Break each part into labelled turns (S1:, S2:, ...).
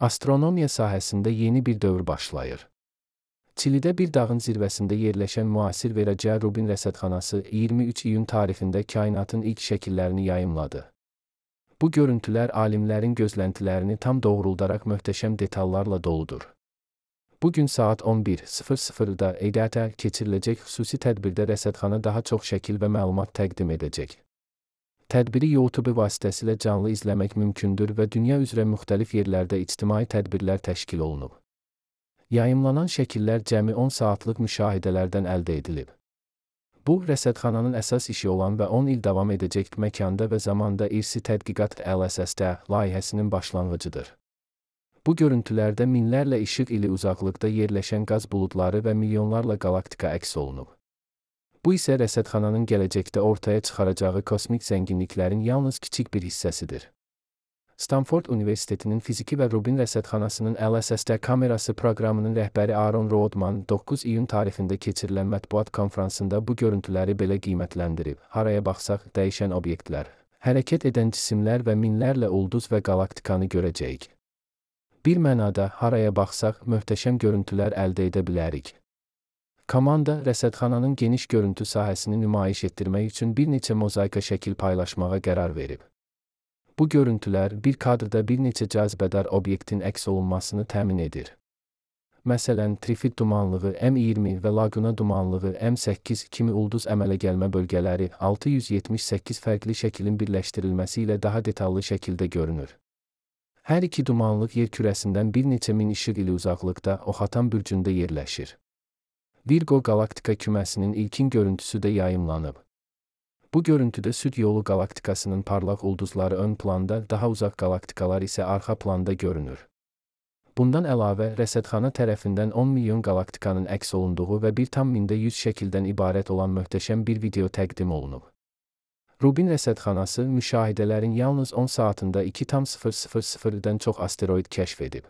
S1: Astronomiya sahəsində yeni bir dövr başlayır. Çilidə bir dağın zirvəsində yerləşən müasir verəcəyi Rubin rəsədxanası 23 iyun tarixində kainatın ilk şəkillərini yayımladı. Bu görüntülər alimlərin gözləntilərini tam doğruldaraq möhtəşəm detallarla doludur. Bugün saat 11:00-da EDT keçiriləcək xüsusi tədbirdə rəsədxana daha çox şəkil və məlumat təqdim edəcək. Tədbiri YouTube vasitəsilə canlı izləmək mümkündür və dünya üzrə müxtəlif yerlərdə ictimai tədbirlər təşkil olunub. Yayımlanan şəkillər cəmi 10 saatlıq müşahidələrdən əldə edilib. Bu, rəsədxananın əsas işi olan və 10 il davam edəcək məkanda və zamanda irsi tədqiqat LSSD layihəsinin başlanğıcıdır. Bu görüntülərdə minlərlə işıq ili uzaqlıqda yerləşən qaz buludları və milyonlarla qalaktika əks olunub. Bu isə rəsədxananın gələcəkdə ortaya çıxaracağı kosmik zənginliklərin yalnız kiçik bir hissəsidir. Stanford Universitetinin fiziki və Rubin rəsədxanasının LSSD kamerası proqramının rəhbəri Aaron Rodman 9 iyun tarixində keçirilən mətbuat konfransında bu görüntüləri belə qiymətləndirib. Haraya baxsaq, dəyişən obyektlər, hərəkət edən cisimlər və minlərlə ulduz və qalaktikanı görəcəyik. Bir mənada, haraya baxsaq, möhtəşəm görüntülər əldə edə bilərik. Komanda, rəsədxananın geniş görüntü sahəsini nümayiş etdirmək üçün bir neçə mozaika şəkil paylaşmağa qərar verib. Bu görüntülər bir kadrda bir neçə cazibədar obyektin əks olunmasını təmin edir. Məsələn, Trifid dumanlığı M20 və Laguna dumanlığı M8 kimi ulduz əmələ gəlmə bölgələri 678 fərqli şəklin birləşdirilməsi ilə daha detallı şəkildə görünür. Hər iki dumanlıq yer kürəsindən bir neçə min işıq ili uzaqlıqda Oxatan bürcündə yerləşir. Virgo qalaktika küməsinin ilkin görüntüsü də yayımlanıb. Bu görüntüdə Süd yolu qalaktikasının parlaq ulduzları ön planda, daha uzaq qalaktikalar isə arxa planda görünür. Bundan əlavə, rəsədxana tərəfindən 10 milyon qalaktikanın əks olunduğu və 1,100 şəkildən ibarət olan möhtəşəm bir video təqdim olunub. Rubin rəsədxanası müşahidələrin yalnız 10 saatında 2,000-dən çox asteroid kəşf edib.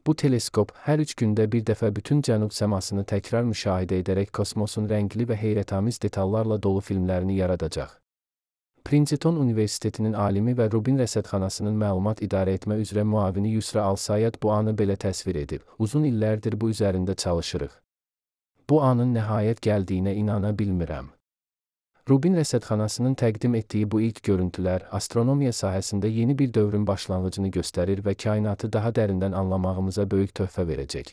S1: Bu teleskop hər 3 gündə bir dəfə bütün cənub səmasını təkrar müşahidə edərək kosmosun rəngli və heyrətamiz detallarla dolu filmlərini yaradacaq. Princeton Universitetinin alimi və Rubin rəsədxanasının məlumat idarə etmə üzrə müavini Yusra Al-Sayad bu anı belə təsvir edib. Uzun illərdir bu üzərində çalışırıq. Bu anın nəhayət gəldiyinə inana bilmirəm. Rubin rəsədxanasının təqdim etdiyi bu ilk görüntülər astronomiya sahəsində yeni bir dövrün başlanğıcını göstərir və kainatı daha dərindən anlamağımıza böyük töhfə verəcək.